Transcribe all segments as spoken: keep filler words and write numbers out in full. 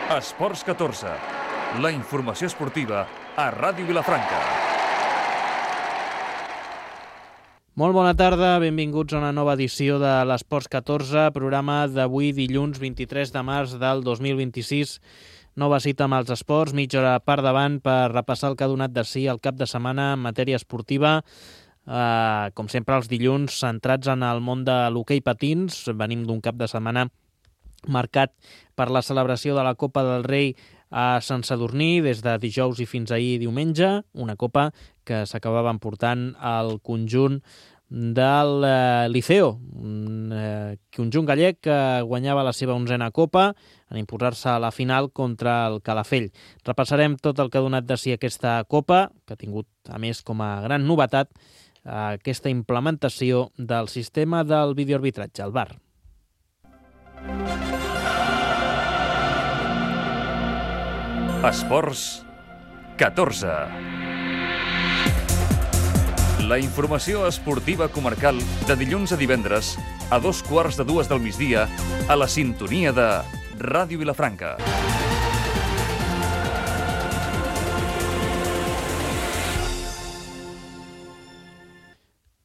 Esports catorze, la informació esportiva a Ràdio Vilafranca. Molt bona tarda, benvinguts a una nova edició de l'Esports catorze, programa d'avui dilluns vint-i-tres de març del dos mil vint-i-sis. Nova cita amb els esports, mitja hora per davant per repassar el que ha donat de si el cap de setmana en matèria esportiva. Uh, com sempre els dilluns centrats en el món de l'hoquei patins. Venim d'un cap de setmana marcat per la celebració de la Copa del Rei a Sant Sadurní des de dijous i fins ahir diumenge, una copa que s'acabava emportant al conjunt del eh, Liceo, un eh, conjunt gallec que guanyava la seva onzena copa en imposar-se a la final contra el Calafell. Repassarem tot el que ha donat de si aquesta copa, que ha tingut a més com a gran novetat aquesta implementació del sistema del videoarbitratge, el V A R. Esports catorze. La informació esportiva comarcal de dilluns a divendres a dos quarts de dues del migdia a la sintonia de Ràdio Vilafranca.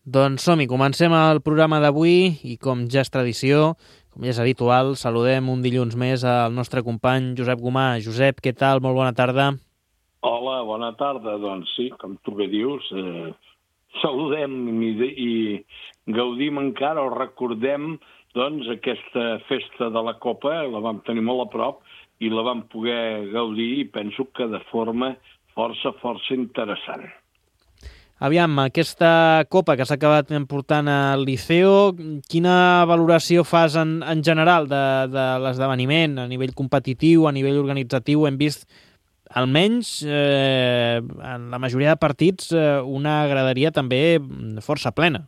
Doncs som-hi, comencem el programa d'avui i com ja és tradició, com ja és habitual, saludem un dilluns més al nostre company Josep Gomà. Josep, què tal? Molt bona tarda. Hola, bona tarda. Doncs sí, com tu bé dius, eh, saludem i, i gaudim encara o recordem doncs, aquesta festa de la Copa, la vam tenir molt a prop i la vam poder gaudir i penso que de forma força, força interessant. Aviam, aquesta copa que s'ha acabat emportant al Liceo, quina valoració fas en, en general de, de l'esdeveniment a nivell competitiu, a nivell organitzatiu? Hem vist, almenys, eh, en la majoria de partits, eh, una graderia també força plena.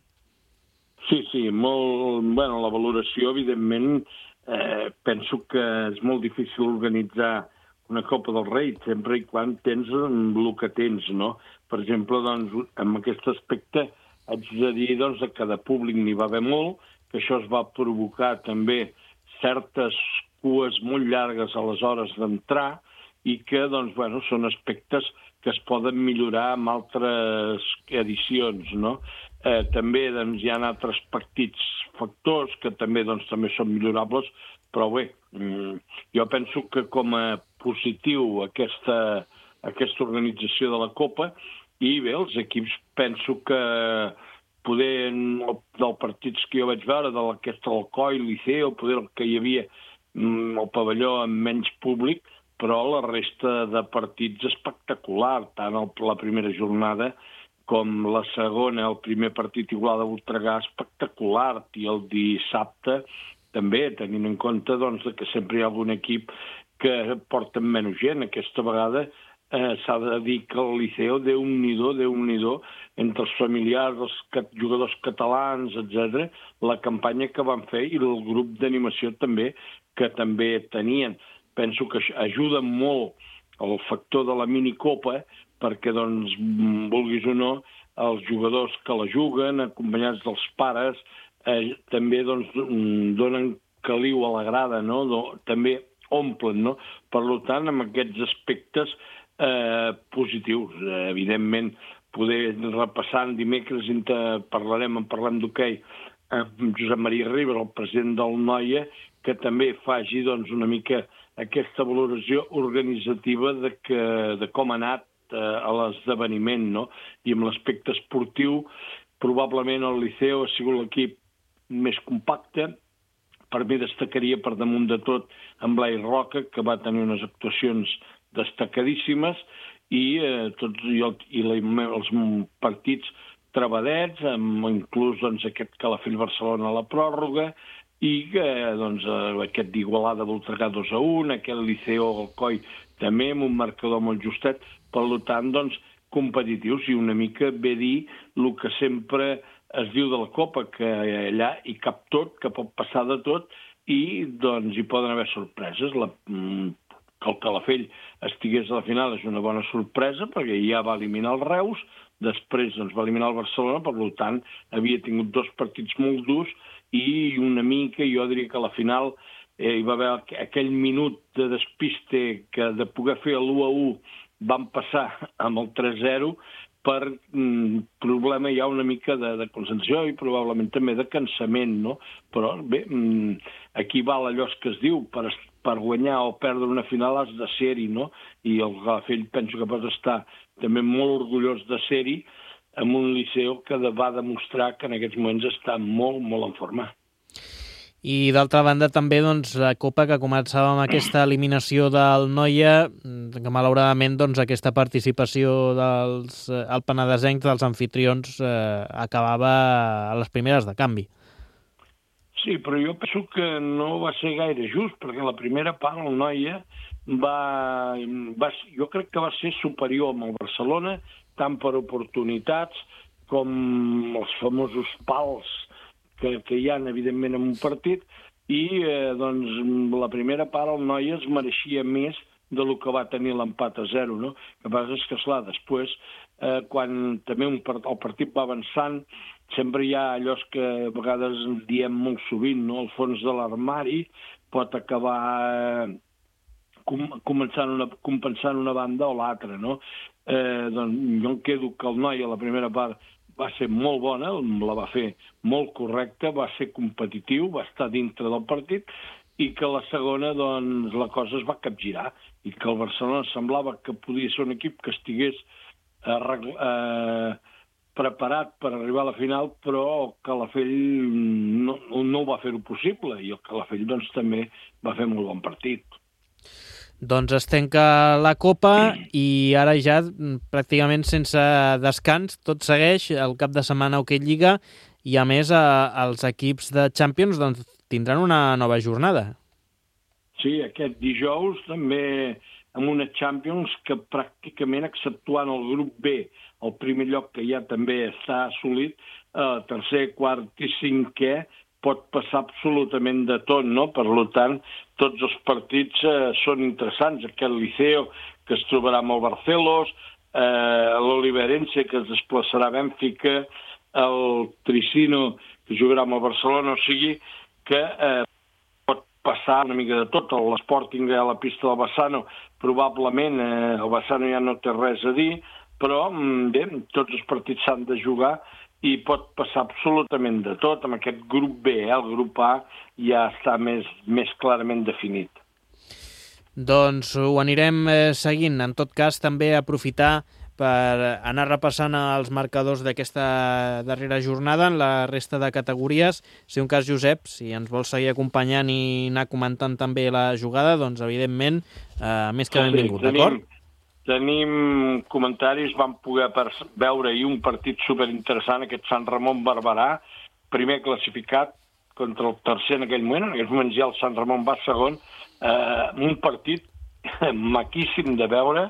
Sí, sí, molt... Bueno, la valoració, evidentment, eh, penso que és molt difícil organitzar una Copa del Rei, sempre i quan tens el que tens, no? Per exemple, doncs, en aquest aspecte haig de dir doncs, que de públic n'hi va haver molt, que això es va provocar també certes cues molt llargues a les hores d'entrar i que doncs, bueno, són aspectes que es poden millorar amb altres edicions, no? Eh, també doncs, hi ha altres petits factors que també, doncs, també són millorables, però bé, jo penso que com a positiu aquesta, aquesta organització de la Copa i bé, els equips penso que poder dels partits que jo vaig veure, de l'Alquesta Alcoi, Liceo, poder el que hi havia el pavelló amb menys públic, però la resta de partits espectacular, tant el, la primera jornada com la segona, el primer partit Igualada Voltregà espectacular, i el dissabte també, tenint en compte doncs, que sempre hi ha algun equip que porten menys gent. Aquesta vegada eh, s'ha de dir que el Liceo, Déu-n'hi-do, Déu-n'hi-do, entre els familiars, els cat- jugadors catalans, etcètera, la campanya que van fer i el grup d'animació també, que també tenien. Penso que ajuda molt el factor de la minicopa perquè, doncs, vulguis o no, els jugadors que la juguen, acompanyats dels pares, eh, també doncs, donen caliu a la grada, no? Do, també omplen, no? Per tant, amb aquests aspectes eh, positius, eh, evidentment, poder repassar en dimecres, inter... parlarem, en parlem d'hoquei, amb Josep Maria Ribas, el president del Noia, que també faci doncs, una mica aquesta valoració organitzativa de, que, de com ha anat eh, a l'esdeveniment, no? I amb l'aspecte esportiu, probablement el Liceo ha sigut l'equip més compacte. Per mi destacaria per damunt de tot en Blai Roca, que va tenir unes actuacions destacadíssimes, i, eh, tots, i, el, i la, els partits trebadets, amb inclús doncs, aquest Calafell-Barcelona a la pròrroga, i eh, doncs, aquest d'Igualada Voltregà dos a un, aquest Liceo Alcoi també, amb un marcador molt justet, per tant, doncs, competitius, i una mica bé dir el que sempre es diu de la Copa, que allà hi cap tot, que pot passar de tot, i doncs hi poden haver sorpreses. La, que el Calafell estigués a la final és una bona sorpresa, perquè ja va eliminar el Reus, després doncs, va eliminar el Barcelona, per tant, havia tingut dos partits molt durs, i una mica, jo diria que a la final hi va haver aquell minut de despiste que de poder fer l'u a u van passar amb el tres zero per mm, problema ja una mica de, de concentració i probablement també de cansament, no? Però bé, mm, aquí val allò que es diu, per, per guanyar o perdre una final has de ser-hi, no? I el Calafell penso que pot estar també molt orgullós de ser-hi amb un Liceu que va demostrar que en aquests moments està molt, molt en forma. I d'altra banda també doncs, la Copa que començava amb aquesta eliminació del Noia, que malauradament doncs, aquesta participació dels el penedesencs, dels anfitrions, eh, acabava a les primeres de canvi. Sí, però jo penso que no va ser gaire just, perquè la primera part el Noia va, va, jo crec que va ser superior amb el Barcelona, tant per oportunitats com els famosos pals que, que hi ha, evidentment, en un partit, i eh, doncs, la primera part el Noia es mereixia més de lo que va tenir l'empat a zero, no? El que passa és que, esclar, després, eh, quan també un part, el partit va avançant, sempre hi ha allò que a vegades diem molt sovint, no? El fons de l'armari pot acabar eh, com, començant una, compensant una banda o l'altra, no? Eh, doncs jo em quedo que el Noia, la primera part, va ser molt bona, la va fer molt correcta, va ser competitiu, va estar dintre del partit, i que la segona, doncs, la cosa es va capgirar, i que el Barcelona semblava que podia ser un equip que estigués arregl... eh, preparat per arribar a la final, però el Calafell no, no ho va fer-ho possible, i el Calafell, doncs, també va fer molt bon partit. Doncs es tanca la Copa i ara ja pràcticament sense descans tot segueix el cap de setmana Hockey Lliga i a més a, els equips de Champions doncs, tindran una nova jornada. Sí, aquest dijous també amb una Champions que pràcticament exceptuant el grup B, el primer lloc que ja també està assolit, eh, tercer, quart i cinquè, pot passar absolutament de tot, no? Per tant, tots els partits eh, són interessants. Aquest Liceo, que es trobarà amb el Barcelos, eh, l'Oliverense, que es desplaçarà a Bènfica, el Tricino, que jugarà amb el Barcelona, o sigui que eh, pot passar una mica de tot. L'Sporting a la pista del Bassano, probablement eh, el Bassano ja no té res a dir, però bé, tots els partits s'han de jugar i pot passar absolutament de tot. Amb aquest grup B, eh? El grup A ja està més, més clarament definit. Doncs ho anirem eh, seguint. En tot cas, també aprofitar per anar repassant els marcadors d'aquesta darrera jornada en la resta de categories. Si un cas, Josep, si ens vols seguir acompanyant i anar comentant també la jugada, doncs evidentment, eh, més que benvingut, sí, d'acord? Tenim comentaris, vam poder veure ahir un partit superinteressant, aquest Sant Ramon Barberà, primer classificat contra el tercer en aquell moment, en aquells moments ja el Sant Ramon va segon, eh, un partit maquíssim de veure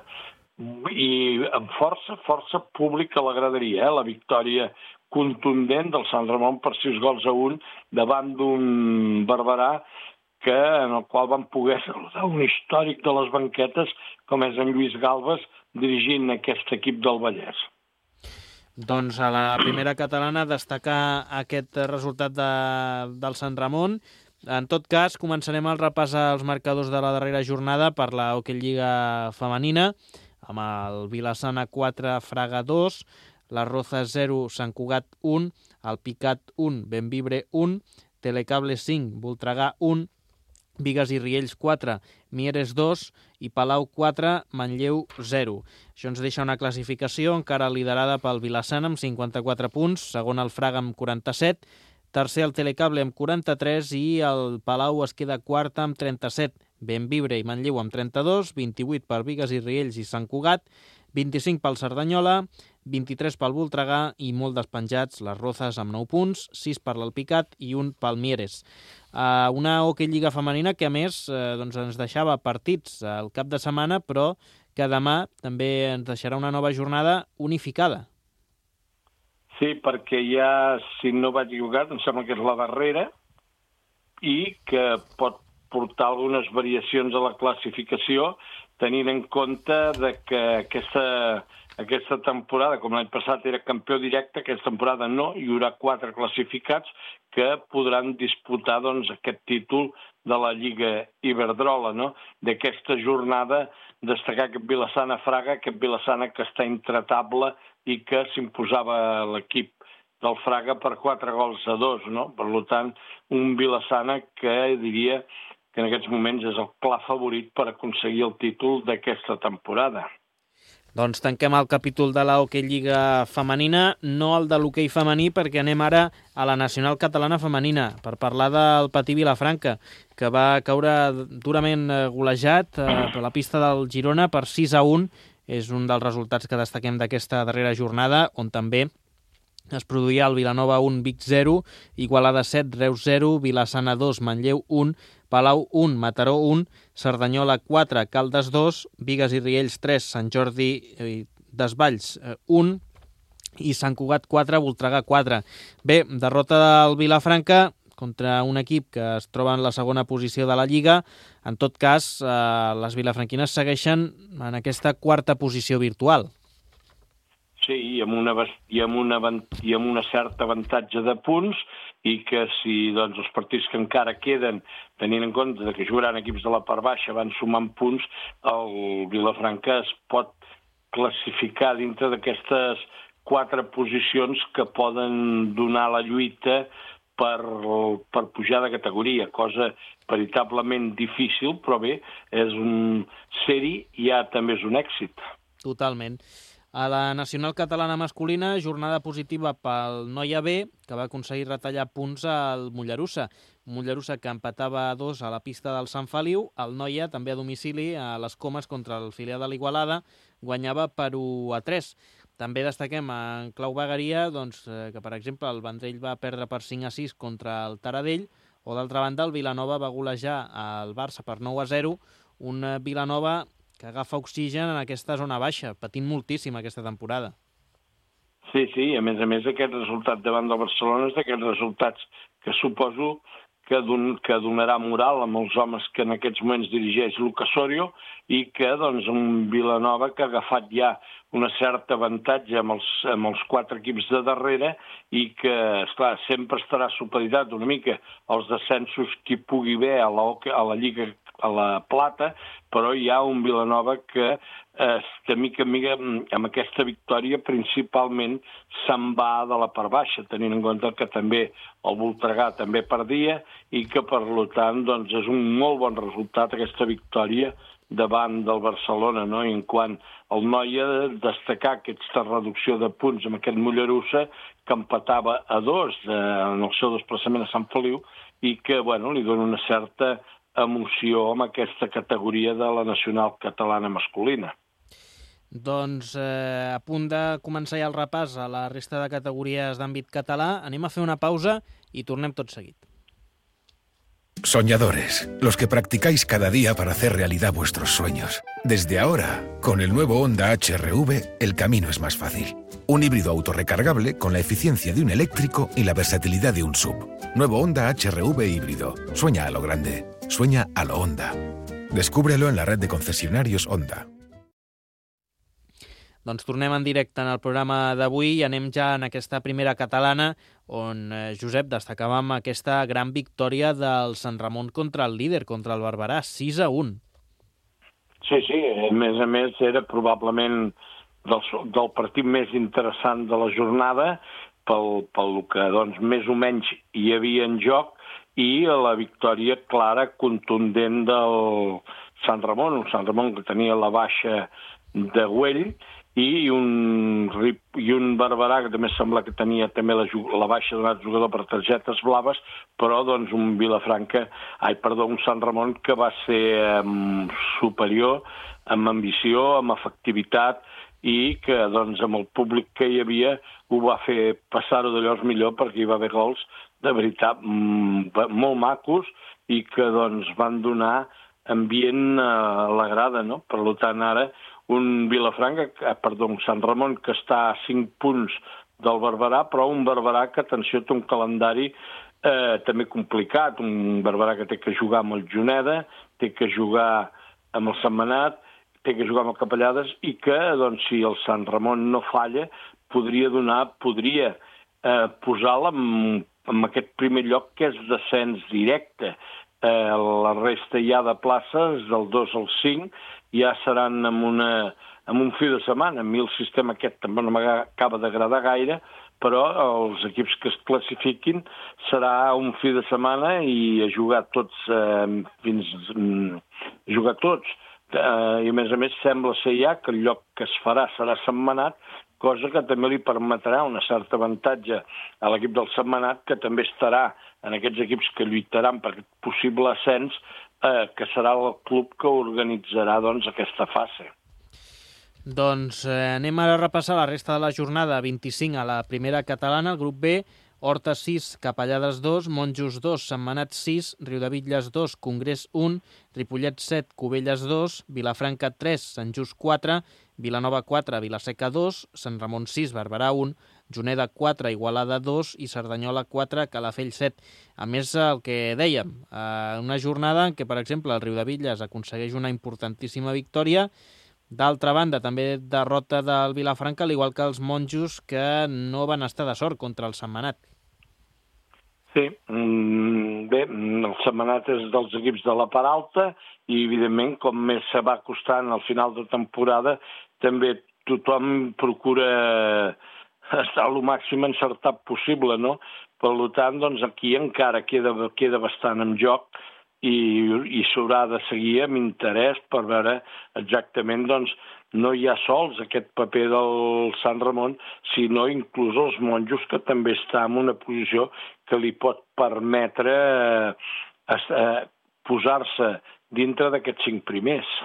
i amb força, força pública a la graderia, eh? La victòria contundent del Sant Ramon per sis gols a un davant d'un Barberà que, en el qual van poder saludar un històric de les banquetes com és en Lluís Galvez dirigint aquest equip del Vallès. Doncs a la primera catalana destacar aquest resultat de, del Sant Ramon. En tot cas, començarem el repàs als marcadors de la darrera jornada per la Hockey Lliga femenina, amb el Vilassana quatre, Fraga dos, la Rozas zero, Sant Cugat un, el Picat un, Benvibre un, Telecable cinc, Voltregà un, Bigues i Riells quatre, Mieres dos i Palau quatre, Manlleu zero. Això ens deixa una classificació encara liderada pel Vilassana amb cinquanta-quatre punts, segon el Fraga amb quaranta-set, tercer el Telecable amb quaranta-tres i el Palau es queda quart amb trenta-set. Benvibre i Manlleu amb trenta-dos, vint-i-vuit per Bigues i Riells i Sant Cugat, vint-i-cinc pel Cerdanyola, vint-i-tres pel Voltregà i molt despenjats les Rozas amb nou punts, sis per l'Alpicat i un pel Mieres. Uh, una Hockey Lliga femenina que a més uh, doncs ens deixava partits al cap de setmana, però que demà també ens deixarà una nova jornada unificada. Sí, perquè ja, si no vaig equivocat, em sembla que és la darrera i que pot portar algunes variacions a la classificació tenint en compte de que aquesta aquesta temporada, com l'any passat era campió directe, aquesta temporada no, hi haurà quatre classificats que podran disputar doncs, aquest títol de la Lliga Iberdrola, no? D'aquesta jornada destacar aquest Vilassana-Fraga, aquest Vilassana que està intratable i que s'imposava l'equip del Fraga per quatre gols a dos, no? Per tant, un Vilassana que diria que en aquests moments és el clar favorit per aconseguir el títol d'aquesta temporada. Doncs tanquem el capítol de la Hockey Lliga femenina, no el de l'hoquei femení, perquè anem ara a la Nacional Catalana femenina per parlar del Patí Vilafranca, que va caure durament golejat per la pista del Girona per sis a un. És un dels resultats que destaquem d'aquesta darrera jornada, on també es produïa el Vilanova un, Vic zero, Igualada set, Reus zero, Vilassana dos, Manlleu un, Palau un, Mataró un, Cerdanyola quatre, Caldes dos, Bigues i Riells tres, Sant Jordi Desvalls un i Sant Cugat quatre, Voltregà quatre. Bé, derrota del Vilafranca contra un equip que es troba en la segona posició de la Lliga. En tot cas, eh, les vilafranquines segueixen en aquesta quarta posició virtual. Sí, i amb, una, i, amb una, i amb una certa avantatge de punts, i que si doncs, els partits que encara queden, tenint en compte que jugaran equips de la part baixa, van sumant punts, el Vilafranca es pot classificar dintre d'aquestes quatre posicions que poden donar la lluita per, per pujar de categoria, cosa veritablement difícil, però bé, és un ser-hi i ja també és un èxit. Totalment. A la Nacional Catalana masculina, jornada positiva pel Noia B, que va aconseguir retallar punts al Mollerussa. Mollerussa que empatava a dos a la pista del Sant Feliu. El Noia, també a domicili, a les Comes contra el filial de l'Igualada, guanyava per u a tres. També destaquem en clau vegueria doncs, que, per exemple, el Vendrell va perdre per cinc a sis contra el Taradell, o d'altra banda el Vilanova va golejar el Barça per nou a zero, un Vilanova que agafa oxigen en aquesta zona baixa, patint moltíssim aquesta temporada. Sí, sí, a més a més aquest resultat davant del Barcelona és d'aquests resultats que suposo que, don, que donarà moral amb els homes que en aquests moments dirigeix Lucas Osorio i que doncs, un Vilanova que ha agafat ja una certa avantatge amb els, amb els quatre equips de darrere i que, esclar, sempre estarà supeditat una mica als descensos que hi pugui haver a la, a la Lliga a la Plata, però hi ha un Vilanova que eh, de mica en mica amb aquesta victòria principalment se'n va de la part baixa, tenint en compte que també el Voltregà també perdia i que per tant doncs, és un molt bon resultat aquesta victòria davant del Barcelona, no? I en quant al Noia, destacar aquesta reducció de punts amb aquest Mollerussa que empatava a dos eh, en el seu desplaçament a Sant Feliu i que bueno, li dona una certa emoció amb aquesta categoria de la Nacional Catalana masculina. Doncs eh, a punt de començar ja el repàs a la resta de categories d'àmbit català, anem a fer una pausa i tornem tot seguit. Soñadores, los que practicáis cada día para hacer realidad vuestros sueños. Desde ahora, con el nuevo Honda H R V, el camino es más fácil. Un híbrido autorrecargable con la eficiencia de un eléctrico y la versatilidad de un sub. Nuevo Honda H R V híbrido. Sueña a lo grande. Sueña a lo Honda. Descúbrelo en la red de concesionarios Honda. Doncs tornem en directe en el programa d'avui i anem ja en aquesta primera catalana on, eh, Josep, destacàvem aquesta gran victòria del Sant Ramon contra el líder, contra el Barberà, sis a un. Sí, sí, a més a més era probablement del, del partit més interessant de la jornada pel, pel que doncs, més o menys hi havia en joc i la victòria clara, contundent del Sant Ramon, un Sant Ramon que tenia la baixa de Güell i un, i un Barberà que també sembla que tenia també la, la baixa d'un altre jugador per targetes blaves, però doncs un Vilafranca, ai, perdó, un Sant Ramon que va ser um, superior amb ambició, amb efectivitat i que doncs amb el públic que hi havia ho va fer passar-ho d'allò millor perquè hi va haver gols de veritat molt macos i que doncs van donar ambient a la grada, no? Per tant, ara un Vilafranca, perdó, un Sant Ramon que està a cinc punts del Barberà, però un Barberà que, atenció, té un calendari eh, també complicat, un Barberà que té que jugar amb el Juneda, té que jugar amb el Sentmenat, té que jugar amb el Capellades i que, doncs, si el Sant Ramon no falla, podria donar, podria eh, posar-la en, en aquest primer lloc que és descens directe. Eh, la resta ja de places, del dos al cinc, ja seran amb, una, amb un fi de setmana. A mi el sistema aquest també no m'acaba d'agradar gaire, però els equips que es classifiquin serà un fi de setmana i a jugar tots, eh, fins a jugar tots. Eh, I a més a més sembla ser ja que el lloc que es farà serà Sentmenat, cosa que també li permetrà un cert avantatge a l'equip del Sentmenat, que també estarà en aquests equips que lluitaran per aquest possible ascens, eh, que serà el club que organitzarà doncs, aquesta fase. Doncs eh, anem ara a repassar la resta de la jornada. vint-i-cinc a la primera catalana, el grup B, Horta sis, Capellades dos, Monjos dos, Sentmenat sis, Riudebitlles dos, Congrés un, Ripollet set, Cubelles dos, Vilafranca tres, Sant Just quatre, Vilanova quatre, Vilaseca dos, Sant Ramon sis, Barberà un, Juneda quatre, Igualada dos i Cerdanyola quatre, Calafell set. A més, el que dèiem, eh, una jornada en què, per exemple, el Riudebitlles aconsegueix una importantíssima victòria. D'altra banda, també derrota del Vilafranca, al igual que els Monjos, que no van estar de sort contra el Sentmenat. Sí, bé, el Sentmenat és dels equips de la part alta i, evidentment, com més se va costant al final de temporada, també tothom procura estar al màxim encertat possible, no? Per tant, doncs, aquí encara queda, queda bastant en joc i, i s'haurà de seguir amb interès per veure exactament, doncs, no hi ha sols aquest paper del Sant Ramon, sinó inclús els Monjos, que també està en una posició que li pot permetre eh, eh, posar-se dintre d'aquests cinc primers.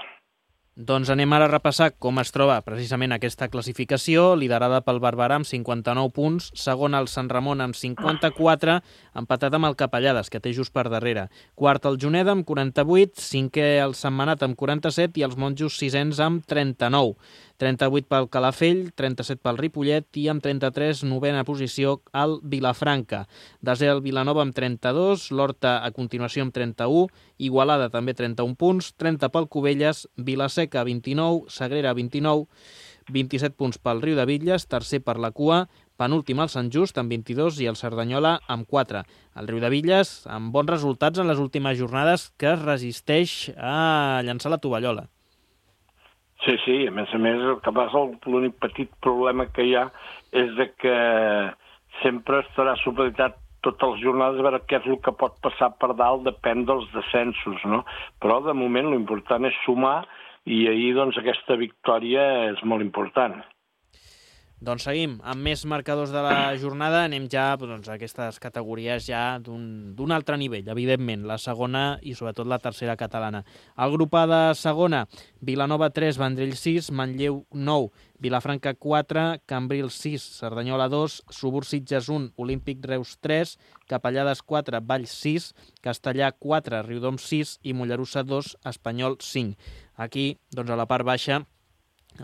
Doncs anem ara a repassar com es troba precisament aquesta classificació, liderada pel Barberà amb cinquanta-nou punts, segon el Sant Ramon amb cinquanta-quatre, empatat amb el Capellades, que té just per darrere. Quart el Juneda amb quaranta-vuit, cinquè el Sentmenat amb quaranta-set i els Monjos sisens amb trenta-nou. trenta-vuit pel Calafell, trenta-set pel Ripollet i amb trenta-tres, novena posició, el Vilafranca. Desè el Vilanova amb trenta-dos, l'Horta a continuació amb trenta-u, Igualada també trenta-un punts, trenta pel Cubelles, Vilaseca vint-i-nou, Sagrera vint-i-nou, vint-i-set punts pel Riudebitlles, tercer per la cua, penúltim el Sant Just amb vint-i-dos i el Cerdanyola amb quatre. El Riudebitlles amb bons resultats en les últimes jornades, que es resisteix a llançar la tovallola. Sí, sí, a més a més, el que passa, l'únic petit problema que hi ha és de que sempre estarà supeditat totes les jornades a veure què és el que pot passar per dalt, depèn dels descensos, no? Però, de moment, l'important és sumar i ahir, doncs, aquesta victòria és molt important. Doncs seguim amb més marcadors de la jornada. Anem ja doncs, a aquestes categories ja d'un altre nivell, evidentment, la segona i sobretot la tercera catalana. El grup A de segona, Vilanova tres, Vendrell sis, Manlleu nou, Vilafranca quatre, Cambrils sis, Cerdanyola dos, Subur Sitges un, Olímpic Reus tres, Capellades quatre, Valls sis, Castellà quatre, Riudoms sis i Mollerussa dos, Espanyol cinc. Aquí, doncs, a la part baixa,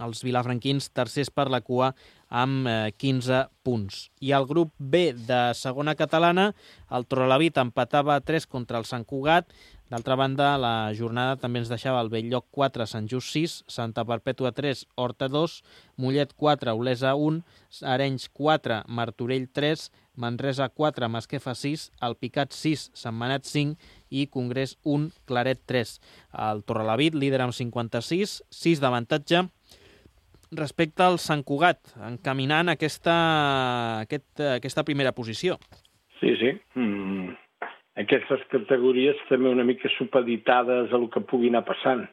els vilafranquins tercers per la cua amb eh, quinze punts. I el grup B de segona catalana, el Torrelavit empatava a tres contra el Sant Cugat. D'altra banda, la jornada també ens deixava el Belllloc quatre, Sant Just sis, Santa Perpètua tres, Horta dos, Mollet quatre, Olesa un, Arenys quatre, Martorell tres, Manresa quatre, Masquefa sis, Alpicat sis, Sentmenat cinc i Congrés un, Claret tres. El Torrelavit, líder amb cinquanta-sis, sis d'avantatge respecte al Sant Cugat, encaminant aquesta, aquest, aquesta primera posició. Sí, sí. Mm. Aquestes categories també una mica supeditades a el que pugui anar passant.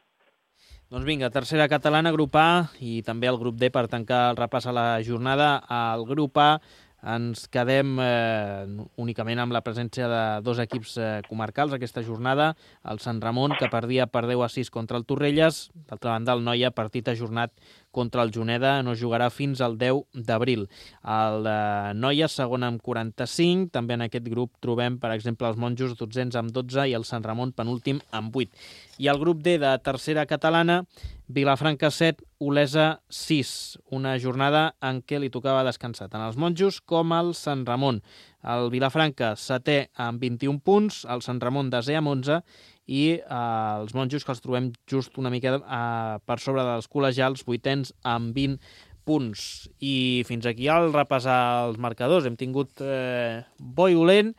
Doncs vinga, tercera catalana, grup A, i també el grup D per tancar el repàs a la jornada. Al grup A ens quedem eh, únicament amb la presència de dos equips eh, comarcals aquesta jornada. El Sant Ramon, que perdia per deu a sis contra el Torrelles. D'altra banda, el Noia, partit ajornat contra el Juneda, no jugarà fins al deu d'abril. El eh, Noia, segon amb quaranta-cinc. També en aquest grup trobem, per exemple, els Monjos, dotzens amb dotze, i el Sant Ramon, penúltim, amb vuit. I el grup D de tercera catalana, Vilafranca set, Olesa sis. Una jornada en què li tocava descansar tant als Monjos com al Sant Ramon. El Vilafranca setè amb vint-i-un punts, el Sant Ramon desè amb onze i eh, els monjos, que els trobem just una mica eh, per sobre dels col·legials, vuitens amb vint punts. I fins aquí al repassar els marcadors. Hem tingut eh, bo i dolent.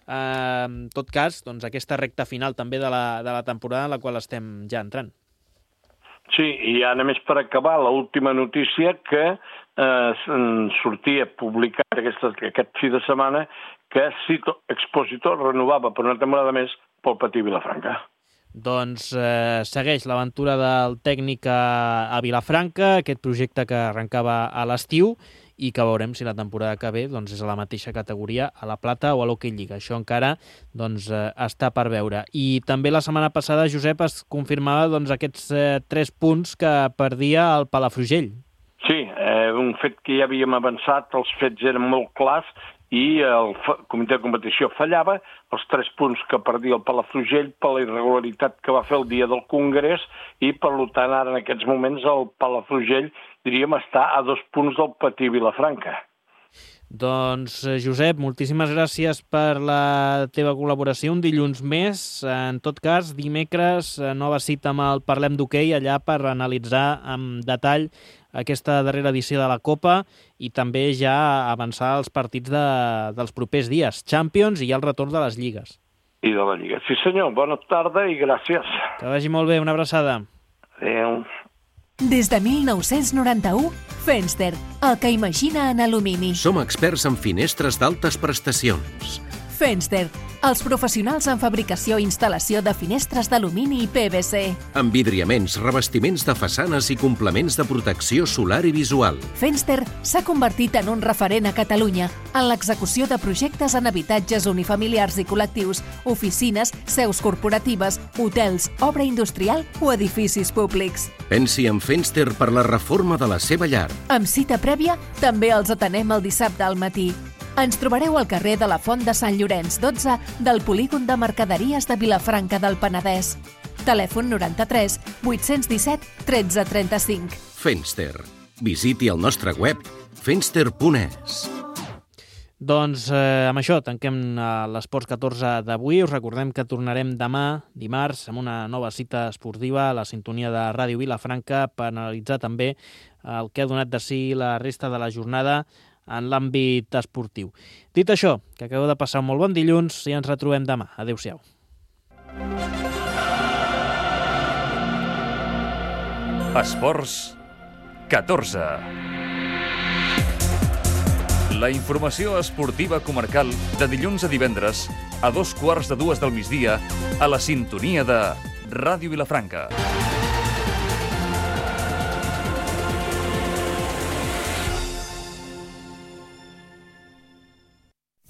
Eh, en tot cas, doncs, aquesta recta final també de la, de la temporada en la qual estem ja entrant. Sí, i ja només per acabar, l'última notícia que eh, sortia publicat aquest, aquest fi de setmana que Cito Expositor renovava per una temporada més pel Patí Vilafranca. Doncs eh, segueix l'aventura del tècnic a, a Vilafranca, aquest projecte que arrencava a l'estiu i que veurem si la temporada que ve doncs, és a la mateixa categoria, a la Plata o a l'Hockey Lliga. Això encara doncs, eh, està per veure. I també la setmana passada, Josep, es confirmava doncs, aquests eh, tres punts que perdia el Palafrugell. Sí, eh, un fet que ja havíem avançat, els fets eren molt clars i el comitè de competició fallava, els tres punts que perdia el Palafrugell per la irregularitat que va fer el dia del Congrés i, per tant, ara en aquests moments el Palafrugell, diríem, està a dos punts del Patí Vilafranca. Doncs, Josep, moltíssimes gràcies per la teva col·laboració. Un dilluns més. En tot cas, dimecres, nova cita amb el Parlem d'Hoquei, allà per analitzar amb detall aquesta darrera edició de la Copa i també ja avançar els partits de, dels propers dies. Champions i ja el retorn de les lligues. I de la Lliga. Sí, senyor. Bona tarda i gràcies. Que vagi molt bé. Una abraçada. Adéu. Des de mil nou-cents noranta-u, Fenster, el que imagina en alumini. Som experts en finestres d'altes prestacions. Fenster, els professionals en fabricació i instal·lació de finestres d'alumini i P V C. Envidriaments, revestiments de façanes i complements de protecció solar i visual. Fenster s'ha convertit en un referent a Catalunya en l'execució de projectes en habitatges unifamiliars i col·lectius, oficines, seus corporatives, hotels, obra industrial o edificis públics. Pensi en Fenster per la reforma de la seva llar. Amb cita prèvia, també els atenem el dissabte al matí. Ens trobareu al carrer de la Font de Sant Llorenç dotze del polígon de mercaderies de Vilafranca del Penedès. Telèfon noranta-tres vuit-cents disset tretze trenta-cinc. Fenster. Visiti el nostre web fenster punt es. Doncs eh, amb això tanquem eh, l'Esports catorze d'avui. Us recordem que tornarem demà, dimarts, amb una nova cita esportiva a la sintonia de Ràdio Vilafranca per analitzar també el que ha donat de si la resta de la jornada en l'àmbit esportiu. Dit això, que acabeu de passar un molt bon dilluns i ens retrobem demà. Adéu-siau. Esports catorze. La informació esportiva comarcal de dilluns a divendres a dos quarts de dues del migdia a la sintonia de Ràdio Vilafranca.